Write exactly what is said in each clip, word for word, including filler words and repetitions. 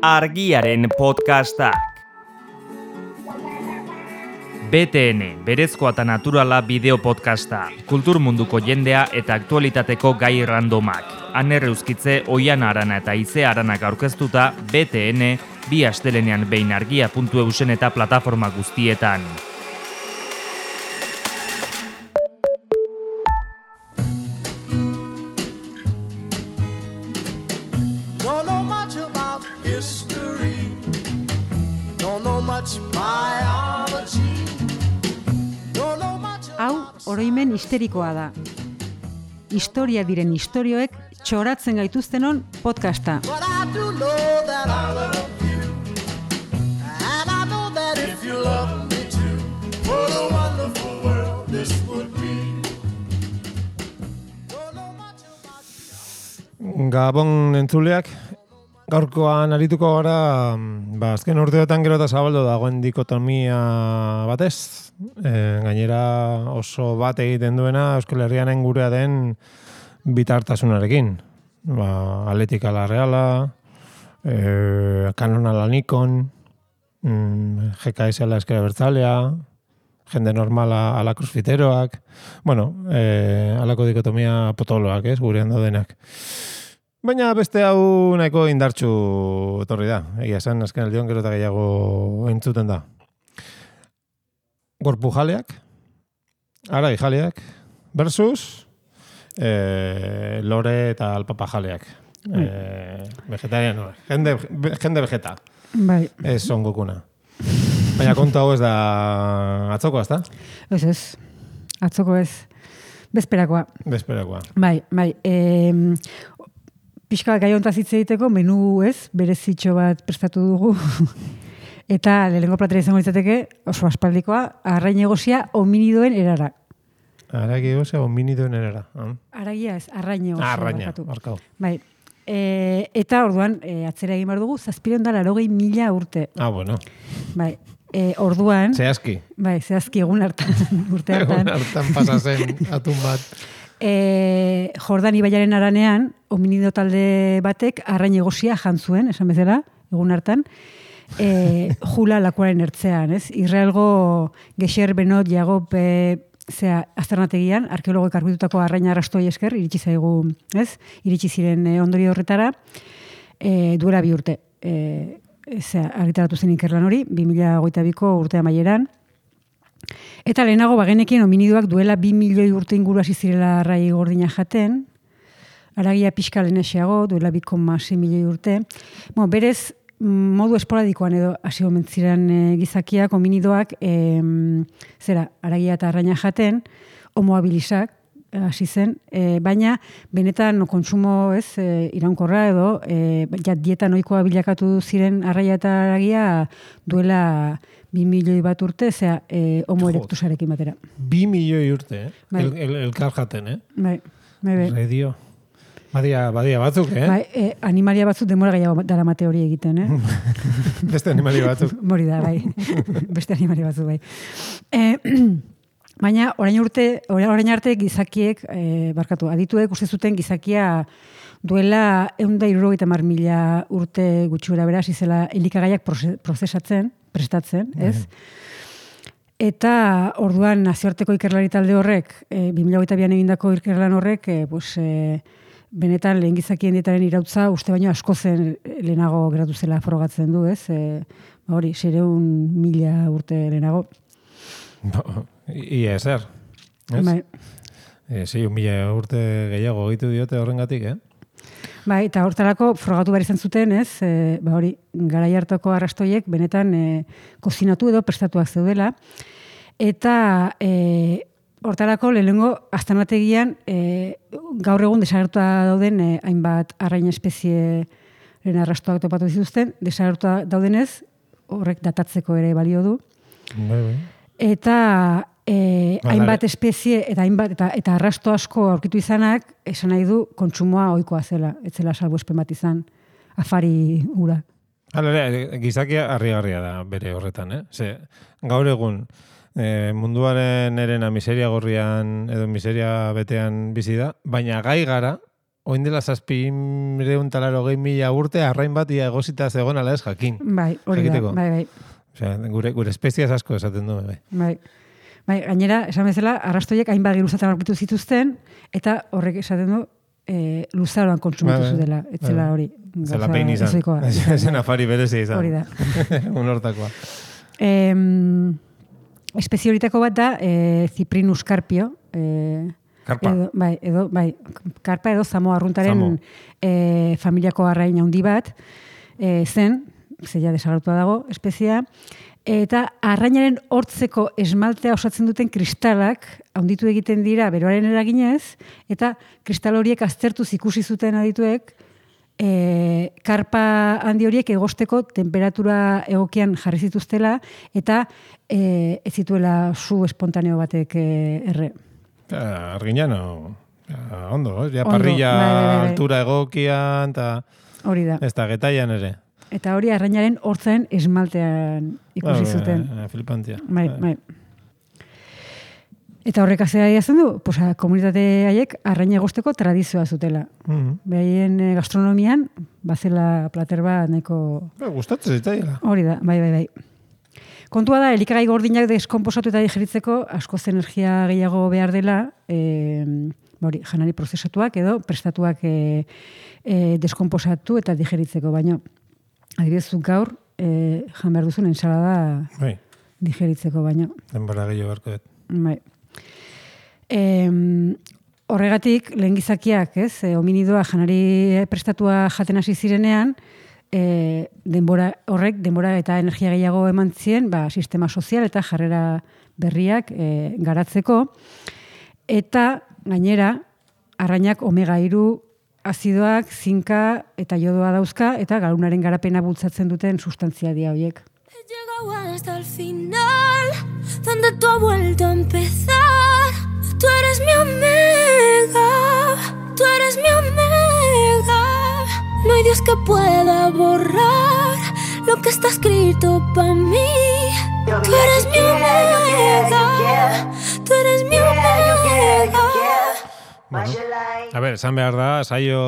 Argiaren podcastak. B T N, berezkoa eta naturala bideo podcasta, kultur munduko jendea eta aktualitateko gai randomak. Aner Euskitze, Oian Arana eta Ize Aranak aurkeztuta B T N, bi astelenean behin argia puntu eusen eta plataforma guztietan. Hau, oroimen histerikoa da. Historia diren istorioek txoratzen gaituztenon podcasta. Gabon entzuleak, gaurkoan arituko gara, ba, azken urteotan gero eta zabaldo dagoen dikotomia batez. E, gainera oso bat egiten duena Euskal Herrianen gurea den bitartasunarekin. Ba, Atletik ala Reala, e, Canon ala Nikon, mm, G K S ala Ezker Abertzalea, jende normala ala crossfiteroak, bueno, e, alako dikotomia potoloak, ez, gurean daudenak. Baina beste hau nahiko indartsu etorri da. Egia esan, azken aldion gero eta gehiago entzuten da. Gorpu jaleak, arai jaleak, versus e, lore eta alpapa jaleak. E, vegetariano, jende, jende vegeta. Bai. Ez son gukuna. Baina kontu hau ez da atzoko, ez da? Ez ez, atzoko ez. Bezperakoa. Bezperakoa. Bai, bai. E, pixka gai hontaz hitz egiteko, menu ez, berezitxo bat prestatu dugu. Eta lehenengo platera izango litzateke, oso aspaldikoa, arrain egosia hominidoen erara. Arrain egosia hominidoen erara. Ah. Aragia ez, arrain egosia. Arraina, barkau. Bai. E, eta orduan, e, atzera egin behar dugu, zazpireun da larogei mila urte. Ah, bueno. Bai. E, orduan... Zehazki. Bai, zehazki egun hartan, urte hartan. Egun hartan pasazen atun bat. E, Jordan ibaiaren aranean, hominido talde batek arrain egosia jantzuen, esan bezala, egun hartan, e, jula lakuaren ertzean, ez? Israelgo Gexer Benot Jagob e, zea azternategian, arkeologoek arbitutako arraina arrastoi esker, iritsi zaigu, ez? Iritsi ziren e, ondorio horretara, e, duela bi urte. E, zea, argitaratu zen ikerlan hori, bi mila hogeita biko urte amaieran. Eta lehenago bagenekin hominidoak duela bi milioi urte inguru hasi zirela arrai gordina jaten, aragia pixka lehenaxeago, duela bi koma sei milioi urte. Bueno, berez, modu esporadikoan edo hasi omen ziren e, gizakiak, hominidoak, e, zera, aragia eta arraina jaten, homo habilisak hasi zen, e, baina benetan kontsumo ez, e, iraunkorra edo, e, ja, dieta noikoa bilakatu ziren arraia eta aragia duela bi milioi bat urte, zera, e, homo erectusarekin batera. Bi milioi urte, eh? Bai. El, el, elkar jaten, eh? Bai, bai, bai. Redio. Badia, badia batzuk, eh? Bai, e, animalia batzuk demora gehiago daramate hori egiten, eh? Beste animalia batzuk. Mori da, bai. Beste animalia batzuk, bai. E, baina, orain urte, orain arte gizakiek, e, barkatu, adituek uste zuten gizakia duela ehun eta hirurogeita hamar mila urte gutxura beraz, izela elikagaiak prozesatzen, prestatzen, ez? Eta orduan nazioarteko ikerlari talde horrek, e, bi mila hogeita bian egindako ikerlan horrek, e, pues, e, benetan lehen gizakien dietaren irautza uste baino asko zen lehenago geratu zela frogatzen du, ez? E, hori, seiehun mila urte lehenago. Ia ezer. Bai. E, seiehun mila urte gehiago egitu diote horrengatik, eh? Bai, eta hortarako frogatu behar izan zuten, ez? E, ba hori, garai hartako arrastoiek benetan e, kozinatu edo prestatuak zeudela. Eta e, hortarako lehenengo aztarnategian e, gaur egun desagertua dauden e, hainbat arrain espezieren arrastoak topatu dituzten, desagertua daudenez, horrek datatzeko ere balio du. Bai, bai. Eta e, hainbat espezie eta hainbat eta, eta arrasto asko aurkitu izanak, esan nahi du kontsumoa ohikoa zela, ez zela salbuespen bat izan, afari ura. Hala, gizakia harrigarria da bere horretan, eh? Ze, gaur egun e, munduaren erena miseria gorrian edo miseria betean bizi da, baina gai gara oin dela zazpireun talaro gehi mila urte, arrain bat ia egosita zegoen ala ez jakin. Bai, hori da, bai, bai. Osea, gure, gure espeziaz asko esaten du, bai. Bai. Bai, gainera, esan bezala, arrastoiek hainbat geruzatan aurkitu zituzten, eta horrek esaten du, e, luzaroan kontsumitu zutela, etzela hori. Zela pein izan, ezen afari berezia izan. Hori da. Un hortakoa. Eh, espezie horitako bat da, eh, Cyprinus carpio. Eh, Karpa. Edo, bai, edo, bai, karpa edo zamo arruntaren Zamo. eh, familiako arrain handi bat, eh, zen, zeia desagertua dago, espeziea, eta arrainaren hortzeko esmaltea osatzen duten kristalak handitu egiten dira beroaren eraginez, eta kristal horiek aztertuz ikusi zuten adituek, e, karpa handi horiek egosteko temperatura egokian jarri zituztela, eta e, ez zituela su espontaneo batek e, erre. Ja, arginano, ja, ondo, ja, Ondo, parrilla bai, bai, bai. altura egokian, eta Hori da. ez da, getaian ere. Eta hori arrainaren hortzen esmaltean ikusi zuten. Ba, flipantia. Bai, bai. Eta horrek azera diazen du, pues, komunitate haiek arraina egosteko tradizioa zutela. Mm-hmm. Behaien eh, gastronomian, bazela plater bat nahiko... Ba, gustatzen zitaiela. Hori da, bai, bai, bai. Kontua da, elikagai gordinak deskomposatu eta digeritzeko askoz energia gehiago behar dela, e, hori, janari prozesatuak edo prestatuak e, e, deskomposatu eta digeritzeko, baino, adibidez, zuk gaur, e, jan behar duzun ensalada Bai, digeritzeko, baino. denbora gehiago beharko dut. Bai. E, horregatik, lehen gizakiak, ez, e, hominidoa janari prestatua jaten hasi zirenean, E, denbora horrek denbora eta energia gehiago eman zien, ba, sistema sozial eta jarrera berriak e, garatzeko. Eta gainera, arrainak omega hiru azidoak, zinka eta jodoa dauzka, eta garunaren garapena bultzatzen duten sustantzia dia horiek. He llegado hasta el final, donde tú has vuelto a empezar. Tú eres mi omega, tú eres mi omega. No hay Dios que pueda borrar lo que está escrito para mí. Tú eres mi omega, tú eres mi omega. Bueno. A ber, esan behar da, saio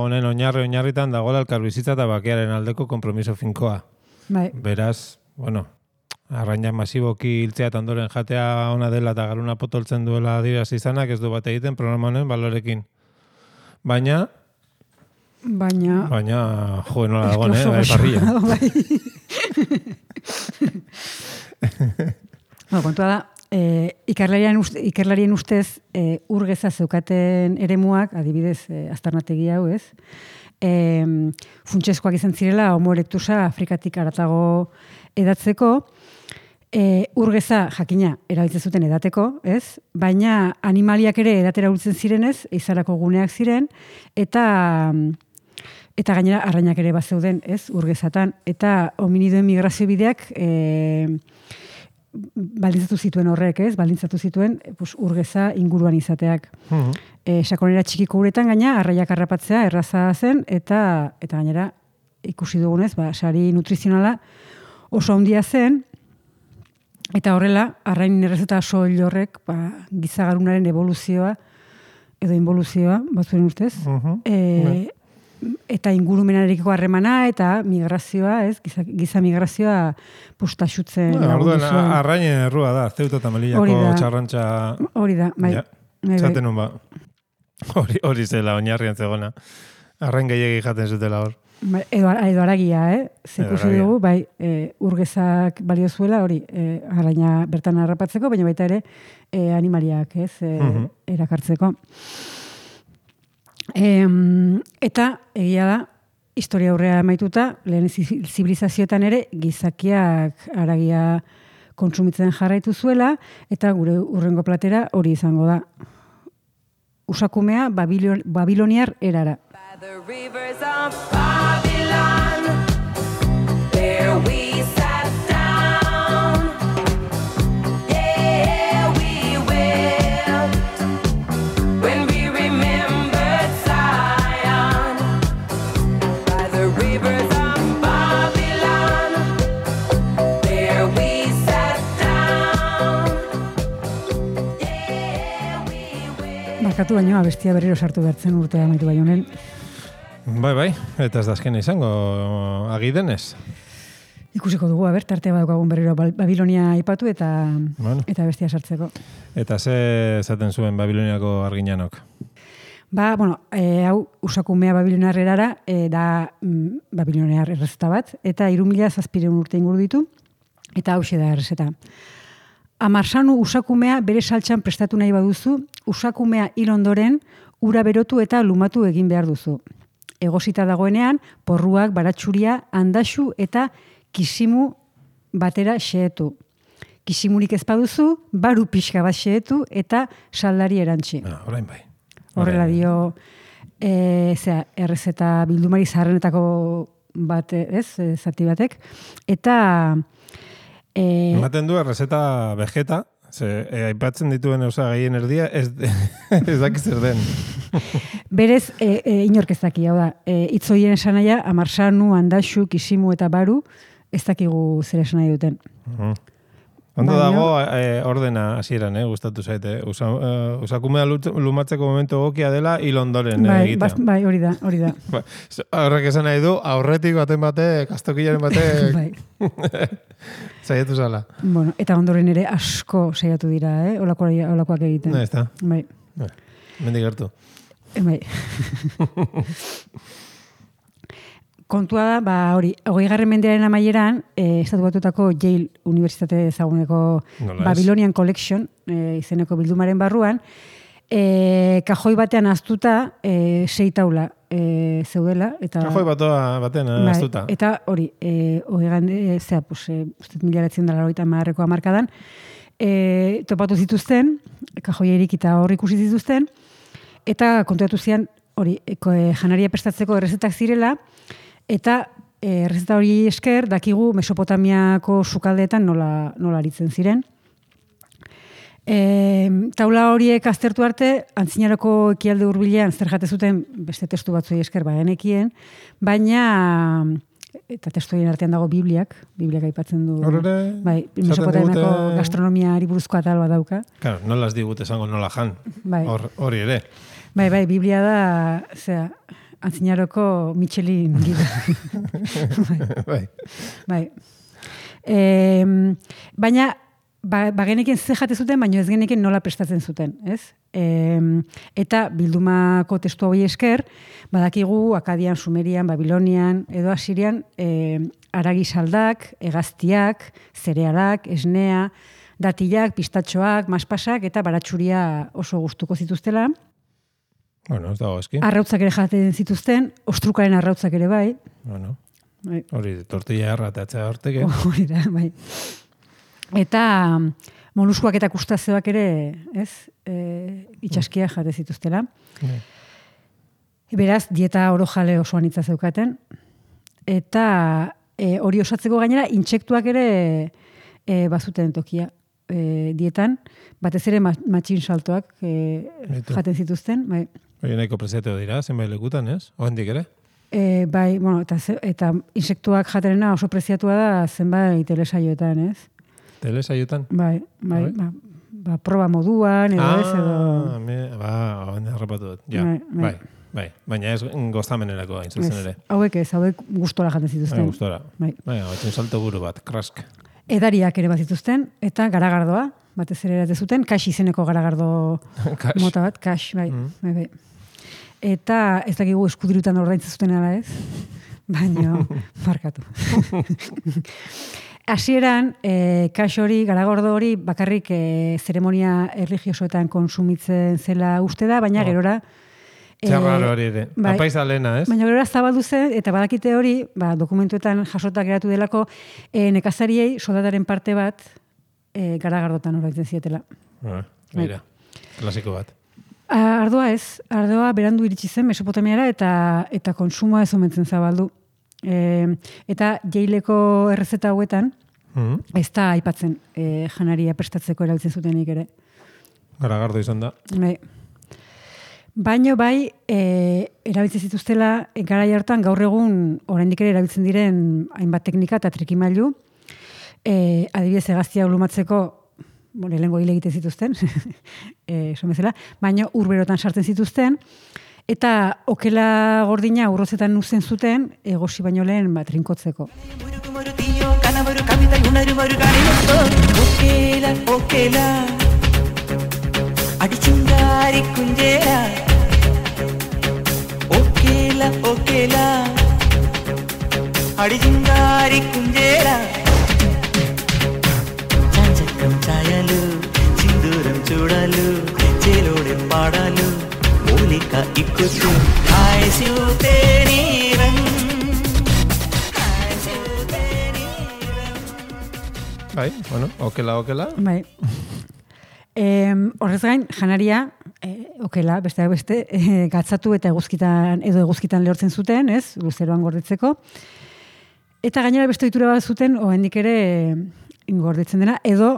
honen oinarri oinarritan dagoela elkarbizitza eta bakearen aldeko konpromiso finkoa. Bai. Beraz, bueno, arrainak masiboki hiltzea eta ondoren jatea ona dela eta garuna potoltzen duela adierazi izanak ez du bat egiten programa honen balorekin. Baina, Baina... baina, jo, nola dagoen, eh? Bai, parrilla. Bai. Bueno, kontua da, eh, ikerlarien, uste, ikerlarien ustez eh, urgeza zeukaten eremuak, adibidez, eh, aztarnategi hau, ez? Eh, funtsezkoak izan zirela, homo erectusa Afrikatik haratago edatzeko, eh, urgeza jakina erabiltzen zuten edateko, ez? Baina animaliak ere edatera hultzen zirenez, eizarako guneak ziren, eta... Eta gainera arrainak ere bazeuden, ez, urgezatan. Eta hominidoen migrazio bideak e, baldintzatu zituen horrek, ez, baldintzatu zituen pues, urgeza inguruan izateak. Uh-huh. E, sakonera txikiko uretan gaina, arraiak harrapatzea erraza zen, eta eta gainera ikusi dugunez, ba, sari nutrizionala oso handia zen, eta horrela, arrain errezeta soil horrek, ba, gizagarunaren evoluzioa, edo involuzioa, batzuen ustez, Uh-huh. e, eta ingurumenarekiko harremana eta migrazioa, ez? Giza, giza migrazioa pustaxutzen Bueno, lagundu orduan, zuen. arrainen errua da, Ceuta eta Hori Melillako da. txarrantxa... Hori da, bai. Ja, Bai, bai. zaten nun ba. Hori, hori zela oinarrian zegona. Arrain gehiagi jaten zutela hor. Bai, edo, edo aragia, eh? Edo Zekusi haragia. dugu, bai, e, urgezak balio zuela, hori, e, arraina bertan harrapatzeko, baina baita ere e, animaliak, ez, e, Mhm. erakartzeko. E, eta, egia da, historia aurrea amaituta, lehen zi- zibilizazioetan ere, gizakiak aragia kontsumitzen jarraitu zuela, eta gure urrengo platera hori izango da. Usakumea Babilon, babiloniar erara. By the rivers of Babylon, there we sat down. Yeah, we wept when we remembered Zion. By the rivers of Babylon, there we sat down. Yeah, we wept. bukatu baino abestia berriro sartu bertzen urtea amaitu bainonen. Bai, bai, eta ez da azkena izango agidenez. Ikusiko dugu, aber, tarte badaukagun berriro Babilonia aipatu eta Bueno. eta bestia sartzeko. Eta ze esaten zuen Babiloniako arginanok? Ba, bueno, e, hau usakumea babiloniar erara, e, da mm, babiloniar errezeta bat, eta hiru mila zazpiehun urte inguru ditu, eta hauxe da errezeta. Amarsanu usakumea bere saltxan prestatu nahi baduzu, usakumea hil ondoren, ura berotu eta lumatu egin behar duzu. Egosita dagoenean, porruak, baratxuria, handaxu eta kisimu batera xehetu. Kisimurik ez baduzu, baru pixka bat xehetu eta saldari erantzi. Ah, orain bai. Horrela dio, e, zera, errezeta bildumari zaharrenetako bat, ez, e, zati batek. Eta... E, Ematen du errezeta vegeta, ze e, aipatzen dituen osagaien erdia, ez, ez dakiz zer den. berez, e, e, inork ez daki, hau da, e, itzoien esan nahia, amarsanu, handaxu, kisimu eta baru, ez dakigu zer esan nahi duten. Uh-huh. Ondo Baina- dago eh, ordena hasieran, eh, gustatu zaite. Usa, uh, usakumea lut- lumatzeko momentu egokia dela hil ondoren eh, Bai, egitea. bas, bai, hori da, hori da. Ba, horrek esan nahi du, aurretik baten bate, kastokilaren bate, bai. zaiatu zala. Bueno, eta ondoren ere asko saiatu dira, eh? Olakoak, olakoak egiten. No, ez da. Bai, Mendik gertu. e, bai. Kontua da, ba, hori, hogeigarren mendearen amaieran, eh, estatu batuetako Yale Unibertsitate ezaguneko Nola ez? Babylonian Collection, eh, izeneko bildumaren barruan, eh, kajoi batean aztuta eh, sei taula eh, zeudela. Eta, Kajoi batoa baten bai, astuta. eta hori, eh, hogeigan, eh, zera, pues, eh, uste mila behatzen dela horita marreko amarkadan, eh, topatu zituzten, kajoierik eta hor ikusi zituzten, eta kontuatu zian, hori, eko, eh, janaria prestatzeko errezetak zirela, eta eh, errezeta hori esker dakigu Mesopotamiako sukaldeetan nola, nola aritzen ziren. E, taula horiek aztertu arte, antzinaroko ekialde hurbilean zer jate zuten beste testu batzui esker bagenekien, baina eta testuien artean dago Bibliak, Bibliak aipatzen du. Hor ere, Bai, esaten Mesopotamiako digute- gastronomiari buruzko atal bat dauka. Claro, nola ez digut esango nola jan. Bai. Hor, hori ere. Bai, bai, Biblia da, zera, antzinaroko Michelin gida. bai. Bai. Bai. E, baina, ba, bageneken ze jate zuten, baina ez geneken nola prestatzen zuten, ez? E, eta bildumako testu hori esker, badakigu Akadian, Sumerian, Babilonian, edo Asirian, e, aragi saldak, hegaztiak, zerealak, esnea, datilak, pistatxoak, maspasak eta baratxuria oso gustuko zituztela. Bueno, ez dago eski. Arrautzak ere jaten zituzten, ostrukaren arrautzak ere bai. Bueno, Bai. hori, tortilla erratatzea horteke. Hori da, bai. Eta mm, moluskuak eta kustazioak ere, ez, e, itxaskia jate zituztela. Bai. Beraz, dieta orojale oso anitza zeukaten. Eta e, hori osatzeko gainera, intsektuak ere e, bazuten tokia e, dietan. Batez ere ma- matxin saltoak e, Baitu. jaten zituzten. Bai. Hori nahiko preziatu dira, zenbait lekutan, ez? Oendik ere? E, bai, bueno, eta, ze- eta insektuak jaterena oso preziatua da zenbait telesaioetan, ez? Telesaiotan? Bai, bai, Bai. ba, ba, proba moduan, edo ez, edo... Ah, me, ba, oen harrapatu dut. Ja, Bai, bai. bai, bai. Baina ez gozamenerako hain zuzen Ez, ere. hauek ez, hauek gustora jaten Bai, zituzten. gustora. Bai. Bai, batxen salto buru bat, krask. Edariak ere bat zituzten, eta garagardoa, batez ere eratzen zuten, kax izeneko garagardo Kax. mota bat, kax, bai, Mm. bai, bai. Eta ez dakigu eskudirutan ordaintzen zuten ala ez, baina markatu. Hasieran, e, kax hori, garagordo hori, bakarrik e, zeremonia erligiosoetan konsumitzen zela uste da, baina Oh. gerora... e, Txarraro hori ere. bai. Apaiza lehena, ez? Baina gerora zabaldu zen, eta badakite hori, ba, dokumentuetan jasotak geratu delako, e, nekazariei soldataren parte bat e, garagardotan ordaintzen zietela. Ah, Mira, klasiko bat. A, ardoa ez, ardoa berandu iritsi zen Mesopotamiara eta eta konsumoa ez omentzen zabaldu. E, eta Jaileko errezeta hauetan, Mhm. ez da aipatzen e, janaria prestatzeko erabiltzen zutenik ere. Garagardo izan da. Bai. Baino bai, e, erabiltzen zituztela e, garai hartan gaur egun oraindik ere erabiltzen diren hainbat teknika eta trikimailu. E, adibidez, hegaztia lumatzeko bueno, lehengo hile egiten zituzten, e, esan bezala, baina urberotan sartzen zituzten, eta okela gordina urrozetan uzten zuten, egosi baino lehen bat rinkotzeko. Okela, okela, adichingari kunjera. Okela, okela, adichingari kunjera. చాంచకం ఛాయలు సింధూరం చూడాలు చేలోడే పాడాలు మూలిక ఇక్కుతూ హాయ్ శివతే నీరం హాయ్ శివతే నీరం. Bai, bueno, okela, okela. Bai. Em, horrez gain, janaria, e, okela, besteak beste, e, gatzatu eta eguzkitan, edo eguzkitan lehortzen zuten, ez, luzeroan gordetzeko. Eta gainera beste ohitura bat zuten, oraindik ere gordetzen dena, edo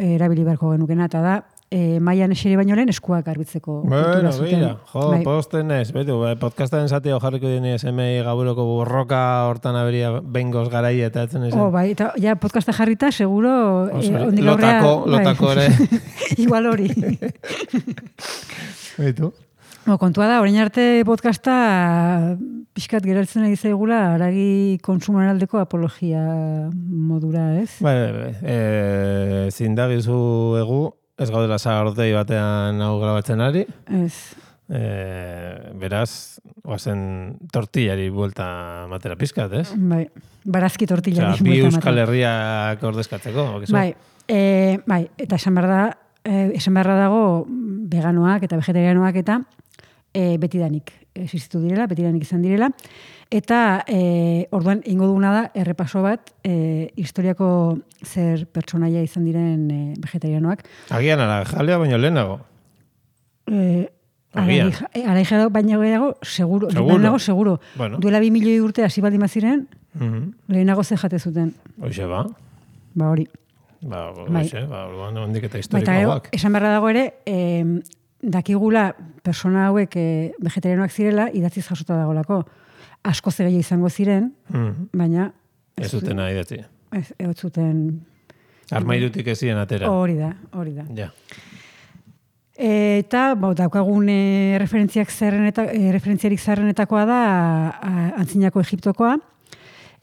e, erabili beharko genukena, eta da, e, mailan eseri baino lehen eskuak garbitzeko ohitura Bueno, zuten. gira, jo, Bai. posten ez, betu, podcastaren zatio jarriko dini esemei gaburoko borroka hortan aberia bengoz garai eta etzen izan. Oh, bai, eta ja podcasta jarrita, seguro, Oso, eh, hondik aurrera, lotako, lotako ere. Igual hori. Betu. Bo, kontua da, orain arte podcasta pixkat geraltzen ari zaigula haragi kontsumoaren aldeko apologia modura, ez? Bai, bai, bai. E, zindagizu egu, ez gaudela sagardotei batean hau grabatzen ari. Ez. E, beraz, oazen tortillari buelta matera pizkat, ez? Bai, barazki tortilla. Osea, bi Euskal Herriak ordezkatzeko. bakizu? Bai, e, bai, eta esan behar da, e, esan beharra dago veganoak eta vegetarianoak eta e, betidanik existitu direla, betidanik izan direla. Eta e, orduan ingo duguna da errepaso bat e, historiako zer pertsonaia izan diren e, vegetarianoak. Agian ara, jalea baino lehenago. E, Agian. Araija baino gehiago, seguro. Seguro. Lehenago, seguro. Bueno. Duela bi milioi urte hasi baldin baziren, Mhm. lehenago ze jate zuten. Hoxe ba. Ba hori. Ba, Bai. hoxe, ba, orduan hondik eta Ba, eta gero, historikoak. esan beharra dago ere, eh, dakigula persona hauek eh, vegetarianoak zirela, idatziz jasota dagolako. Asko zegeia izango ziren, Mhm. baina Ez zuten nahi datzi. ez, ez zuten Armairutik ezien atera. hori da, hori da. Ja. Eta, ba, daukagun e, referentziak zerreneta, e, referentziarik zerrenetakoa da a, antzinako Egiptokoa,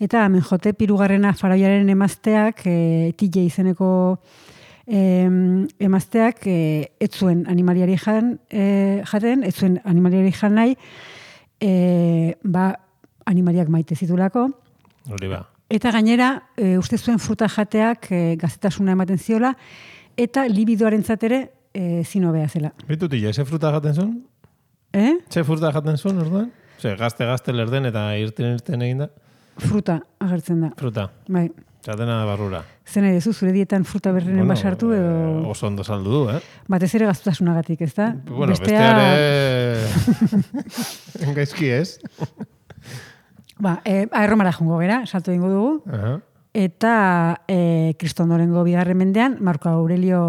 eta Amenhotep hirugarrena faraoiaren emazteak, e, Tile izeneko e, emazteak, e, ez zuen animaliari jan, e, jaten, ez zuen animaliari jan nahi, e, ba, animaliak maite zitulako, Hori ba. eta gainera, e, uste zuen fruta jateak e, gazetasuna ematen ziola, eta libidoarentzat ere e, zinobea zela. Bitutile, ze fruta jaten zuen? Eh? Ze fruta jaten zuen, orduan? Ze, gazte-gazte lerden eta irten-irten egin da? Fruta agertzen da. Fruta. Bai. Zatena barrura. Zen ere, zu, zure dietan fruta berrenen basartu edo... eh, oso ondo saldu du, eh? Batez ere gaztutasunagatik, ez da? Bueno, besteare... Gaizki ez? Ba, e, aerromara jongo gera, salto egingo dugu. Aha. Eta e, kristondorengo bigarren mendean, Marko Aurelio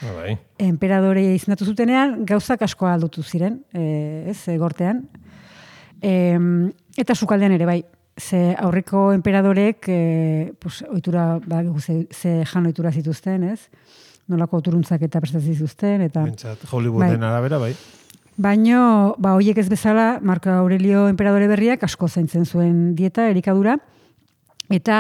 Ah, bai. emperadore izendatu zutenean, gauzak asko aldutu ziren, e, ez, e, gortean. E, eta sukaldean ere, bai, ze aurreko emperadorek, e, pues, ohitura, ba, ze, ze jan ohitura zituzten, ez? Nolako turuntzak eta prestatzen zituzten, eta... Bentsat, Hollywooden arabera, bai. Baino, ba, hoiek ez bezala, Marko Aurelio emperadore berriak asko zaintzen zuen dieta, elikadura, eta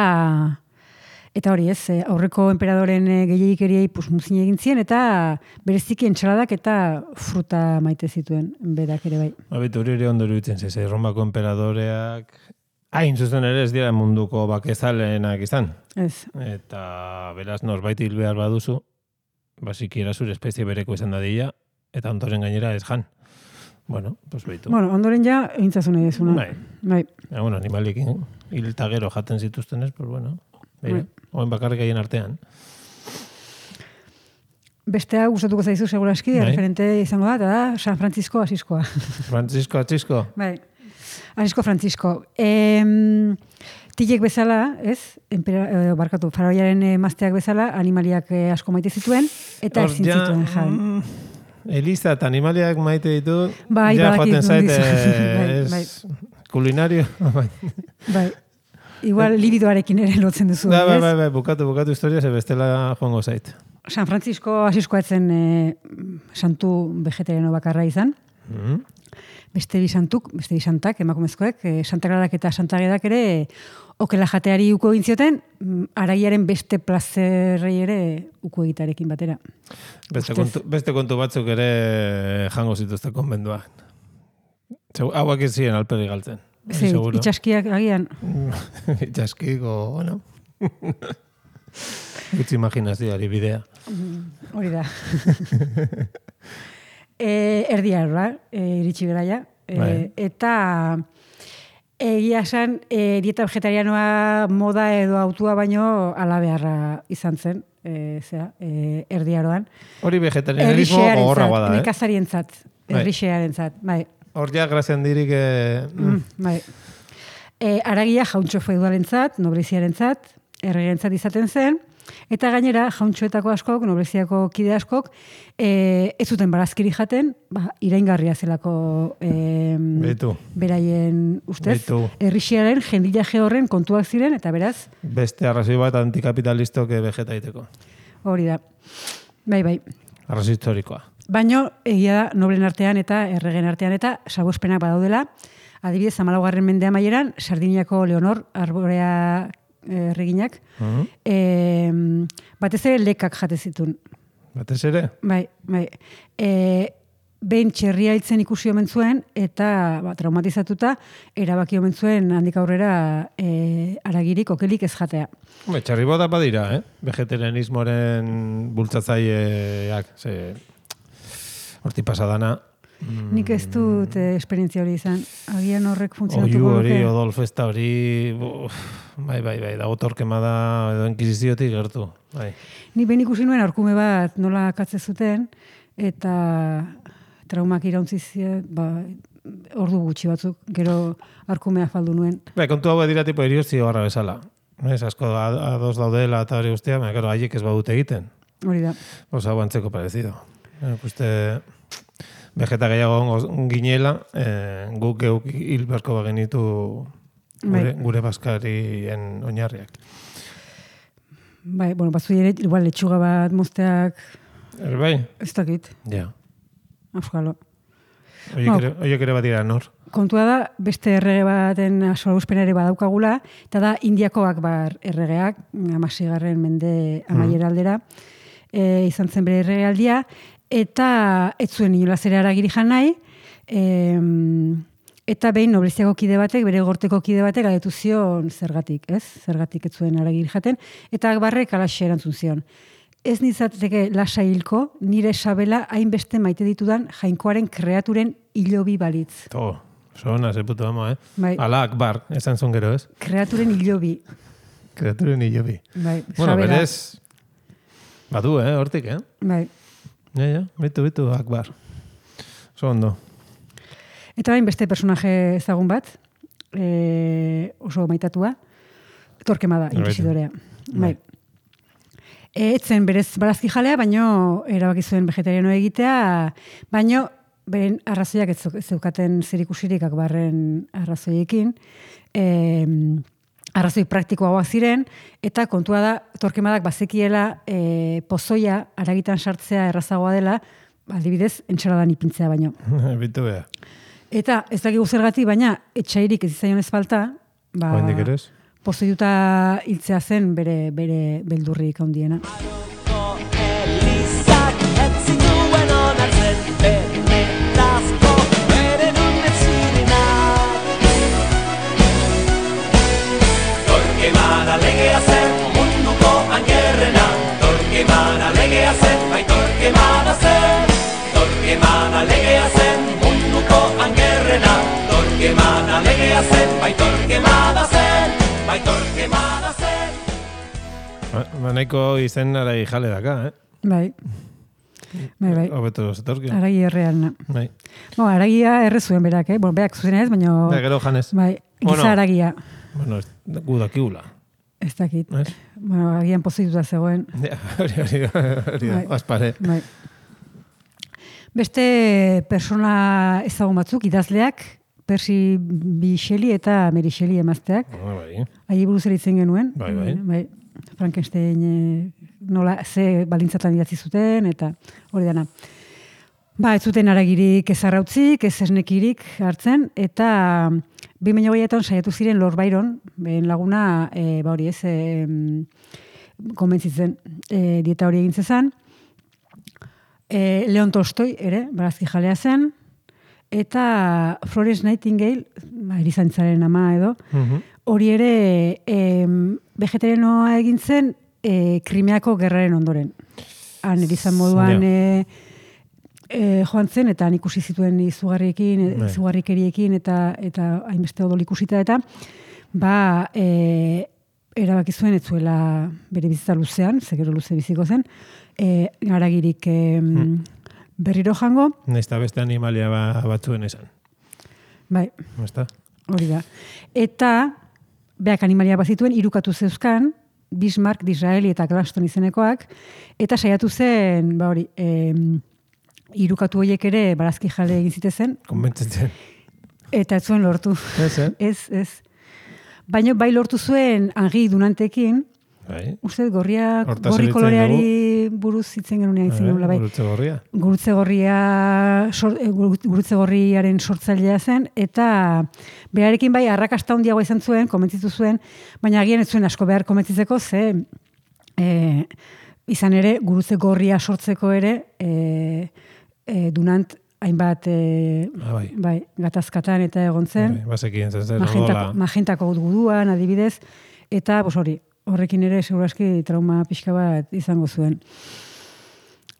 eta hori ez, eh, aurreko emperadoren gehiagikeriei pues, muzin egin zien, eta bereziki entxaladak eta fruta maite zituen, berak ere bai. Babitu hori ere ondo iruditzen zezai, Romako emperadoreak hain zuzen ere ez dira munduko bakezalenak izan. Ez. Eta beraz norbait hil behar baduzu, basikiera zure espezie bereko izan dadila, eta ondoren gainera ez jan. Bueno, pues behitu. Bueno, ondoren ja, egintzazun nahi dezuna. Bai. Bai. Ja, bueno, animalik hil eta gero jaten zituztenez, pues bueno, beira, Bai. oen bakarrik haien artean. Bestea gustatuko zaizu seguraski, Bai. referente izango da, eta da San Francisco Asiskoa. Francisco Atxisko? Bai. Asisko Francisco. Em, tilek bezala, ez? Empera, eh, barkatu, faraoiaren emazteak bezala, animaliak eh, asko maite zituen, eta Hor, ezin ja, zituen jan. mm, Eliza eta animaliak maite ditu, Bai, ja badakit joaten zait, nondik. Bai, ez bai. kulinario. bai. Bai. Igual libidoarekin ere lotzen duzu, Da, bai, ez? bai, bai, bukatu, bukatu historia, ze bestela joango zait. San Francisco Asiskoa etzen e, santu vegetariano bakarra izan. Mhm. Beste bi santuk, beste bi santak, emakumezkoek, e, Santa Clarak eta Santa Agedak ere e, okela jateari uko egin zioten, mm, aragiaren beste plazerrei ere uko egitarekin batera. Beste Ustez. kontu, beste kontu batzuk ere jango zituzte konbenduan. Zeu, hauak ez ziren alperi galtzen. hori Ze, seguro. itxaskiak agian, Itxaskiko, bueno. Gutxi imaginazioari bidea. hori da. e, erdia erra, e, iritsi beraia. E, Bai. eta egia esan, e, dieta vegetarianoa moda edo autua baino alabeharra izan zen. E, zera, e, erdiaroan. Hori vegetarianismo gogorragoa da, eh? nekazarientzat, Bai. herrixearentzat, bai. Hor ja, grazian dirik... Eh, Mm, bai. E, aragia jauntxo feudalentzat, nobleziarentzat, erregentzat izaten zen, eta gainera jauntxoetako askok, nobleziako kide askok, e, ez zuten barazkiri jaten, ba, iraingarria zelako e, Beitu. beraien ustez, Beitu. herrixiaren jendilaje horren kontuak ziren, eta beraz, Beste arrazoi bat antikapitalistok vegetaiteko. hori da. Bai, bai. Arrazoi historikoa. Baino, egia da, noblen artean eta erregen artean eta salbuespenak badaudela. Adibidez, hamalaugarren mende amaieran, Sardiniako Leonor Arborea erreginak, Mhm. e, batez ere lekak jate zituen. Batez ere? Bai, bai. E, behin txerria hiltzen ikusi omen zuen, eta ba, traumatizatuta, erabaki omen zuen handik aurrera e, aragirik, okelik ez jatea. Hombre, txarri bota badira, eh? Vegetarianismoaren bultzatzaileak. Ze... Horti pasadana. Mm, Nik ez dut eh, esperientzia hori izan. Agian horrek Oiu funtzionatuko hori, luke. odol festa hori... Uf, bai, bai, bai, dago torkemada edo inkisiziotik gertu. Bai. Ni behin ikusi nuen aurkume bat nola katze zuten, eta traumak irauntzi zien, ba, ordu gutxi batzuk, gero arkumea faldu nuen. Bai, kontu hau dira tipo eriozio barra bezala. Ez, asko a- ados daudela eta hori guztia, baina, claro, haiek ez badute egiten. Hori da. Osa, hau antzeko parecido. Eh, uste, vegeta gehiago gongo ginela, eh, guk geuk hil beharko bagenitu gure, Bai. gure baskarien oinarriak. Bai, bueno, batzu ere, igual letxuga bat mozteak, Er, bai? ez dakit, Ja. auskalo. Oiek No. ere, oiek ere bat dira nor. Kontua da, beste errege baten salbuespena ere badaukagula, eta da Indiako Akbar erregeak, hamaseigarren mende amaiera aldera, e, izan zen bere erregealdia, eta ez zuen inolaz ere haragiri jan nahi, em, eta behin nobleziako kide batek, bere gorteko kide batek galdetu zion zergatik, ez? Zergatik ez zuen haragiri jaten, eta Akbarrek alaxe erantzun zion. Ez nitzateke lasa hilko, nire sabela hainbeste maite ditudan jainkoaren kreaturen hilobi balitz. To, sona, ze puto amo, eh? Bai. Ala Akbar, esan zon gero, ez? Kreaturen hilobi. Kreaturen hilobi. Bai, Bueno, sabela. berez, badu, eh, hortik, eh? Bai. Ja, ja, bitu, bitu, Akbar. Oso ondo. Eta bain beste personaje ezagun bat, e, oso maitatua, Torquemada, Right. inquisidorea. Bai. E, etzen berez barazki jalea, baino erabaki zuen vegetariano egitea, baino beren arrazoiak ez zeu- ez zeukaten zerikusirik Akbarren arrazoiekin, e, arrazoi praktikoagoak ziren, eta kontua da, Torquemadak bazekiela e, pozoia aragitan sartzea errazagoa dela, adibidez, entxaladan ipintzea baino. Bitu beha. Eta ez dakigu zergatik, baina etxairik ez izaion ez falta, ba, Oendik ere ez? pozoiuta hiltzea zen bere, bere beldurrik handiena. Elizak etzin duen onartzen benetazko bere nunet zirenak. Torquemada legea zen munduko angerrena, Torquemada legea zen, bai Torquemada zen. Torquemada legea zen munduko angerrena, Torquemada legea zen, bai Torquemada zen, bai Torquemada zen. Ba, ba, nahiko izen aragi jale daka, eh? Bai, bai, bai. Hobeto zetorki. Aragi errealna. Bai. Bo, aragia erre zuen berak, eh? Bueno, berak zuzen ez, baina... Ba, gero janez. Bai, giza Bueno. aragia. Bueno, ez- gu dakigula. Ez dakit. Ez? Bueno, agian pozoituta zegoen. Ja, hori, hori, hori, Bai. aspare. Bai. Beste persona ezagun batzuk, idazleak, Percy B. Shelley eta Mary Shelley emazteak. Ah, bai. Ahi buruz ere itzen genuen. Bai, bai. bai. Frankenstein e, nola, ze baldintzatan idatzi zuten, eta hori dana. Ba, ez zuten haragirik ez arrautzik, ez esnekirik hartzen, eta bi mila hogeian saiatu ziren Lord Byron, behen laguna, e, ba hori ez, e, konbentzitzen e, dieta hori egin zezan. E, Leon Tolstoi ere, barazki jalea zen, eta Florence Nightingale, ba, erizantzaren ama edo, hori ere e, vegetarianoa egin zen e, Krimeako gerraren ondoren. Han erizan moduan e, e, joan zen, eta han ikusi zituen izugarriekin, izugarrikeriekin, eta eta hainbeste odol ikusita, eta ba, e, erabaki zuen ez zuela bere bizitza luzean, zegero luze biziko zen, e, haragirik e, hmm. berriro jango. Naizta beste animalia ba, batzuen esan. Bai. Naizta? Hori da. Eta, beak animalia bazituen, irukatu zeuzkan, Bismarck, Disraeli eta Gladstone izenekoak, eta saiatu zen, ba hori, e, irukatu horiek ere barazki jale egin zitezen. Konbentzitzen. Eta ez zuen lortu. Ez, eh? Ez, ez. Baina bai lortu zuen Henri Dunantekin, bai. Uste, gorria, gorri koloreari buruz hitzen genunean izan genula, bai. Gurutze gorria. Gurutze gorria, sor, gurutze gorriaren sortzailea zen, eta berarekin bai arrakasta handiagoa izan zuen, komentzitu zuen, baina agian ez zuen asko behar komentzitzeko, ze e, izan ere, gurutze gorria sortzeko ere, e, e, Dunant hainbat e, ah, bai. bai, gatazkatan eta egon zen. Bai, bazekien zen zen. Magentako, magentako guduan, adibidez, eta bos hori, horrekin ere segurazki trauma pixka bat izango zuen.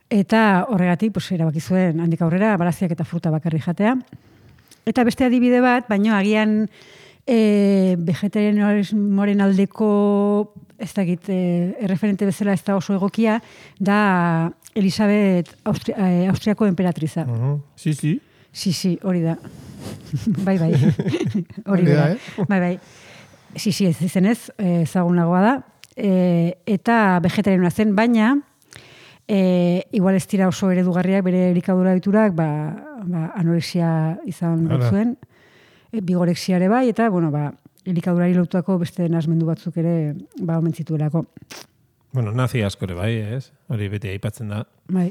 Eta horregatik, pues, erabaki zuen handik aurrera, baraziak eta fruta bakarri jatea. Eta beste adibide bat, baino agian e, vegetarianismoaren aldeko, ez dakit, e, erreferente bezala ez da oso egokia, da Elisabet Austri, e, Austriako emperatriza. Uh -huh. Si, si. Si, si, hori da. bai, bai. Hori da, eh? Bai, bai. Si, si, ez izenez, ezagunagoa da. E, eta vegetarianoa zen, baina e, igual ez dira oso eredugarriak bere elikadura diturak, ba, ba, anorexia izan batzuen, e, bigorexiare bai, eta, bueno, ba, elikadurari lotuako beste nasmendu batzuk ere, ba, omen zituelako. Bueno, nazi askore bai, ez? Hori beti aipatzen da. Bai.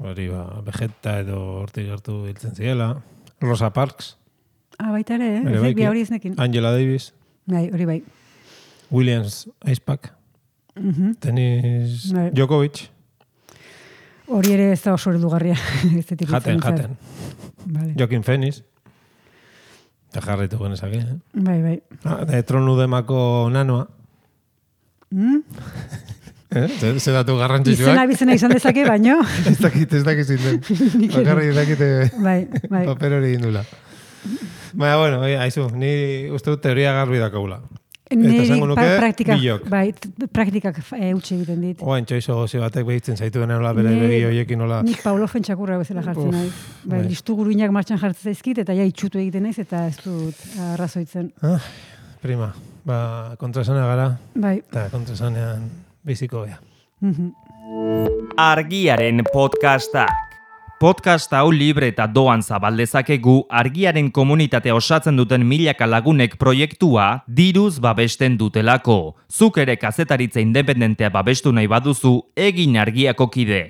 Hori, ba, vegeta edo hortik hartu hiltzen ziela. Rosa Parks. Ah, baita ere, eh? Bere baiki. Hori eznekin. Angela Davis. Bai, hori bai. Williams Icepack. Uh-huh. Tenis bai. Djokovic. Hori ere ez da oso eredugarria. Jaten, jaten. Vale. Joaquin Phoenix. Eta jarraitu genezak, eh? Bai, bai. Ah, de Tronudemako nanoa. Mm? eh? Zer, zer datu garrantzitsuak? Izena bizena izan dezake, baino. ez dakit, ez dakit zinden. Bakarri ez dakite bai, bai. paper hori indula. Baina, bueno, haizu, ni uste dut teoria garbi dakaula. Eta zango nuke, praktikak, bilok. bai, praktikak e, utxe egiten dit. Oain txoizo gozi batek behitzen zaitu dena nola bere begi hoiekin nola. Nik Paulo Fentsakurra bezala jartzen Uf, naiz. Bai, bai. listu guruinak martxan jartzen zaizkit, eta ja itxutu egiten naiz, eta ez dut arrazoitzen. Ah, prima, ba, kontrasana gara, Bai. eta kontrasanean biziko bea. Mhm. Argiaren podcastak. Podcast hau libre eta doan zabaldezakegu Argiaren komunitatea osatzen duten milaka lagunek proiektua diruz babesten dutelako. Zuk ere kazetaritza independentea babestu nahi baduzu, egin Argiako kide.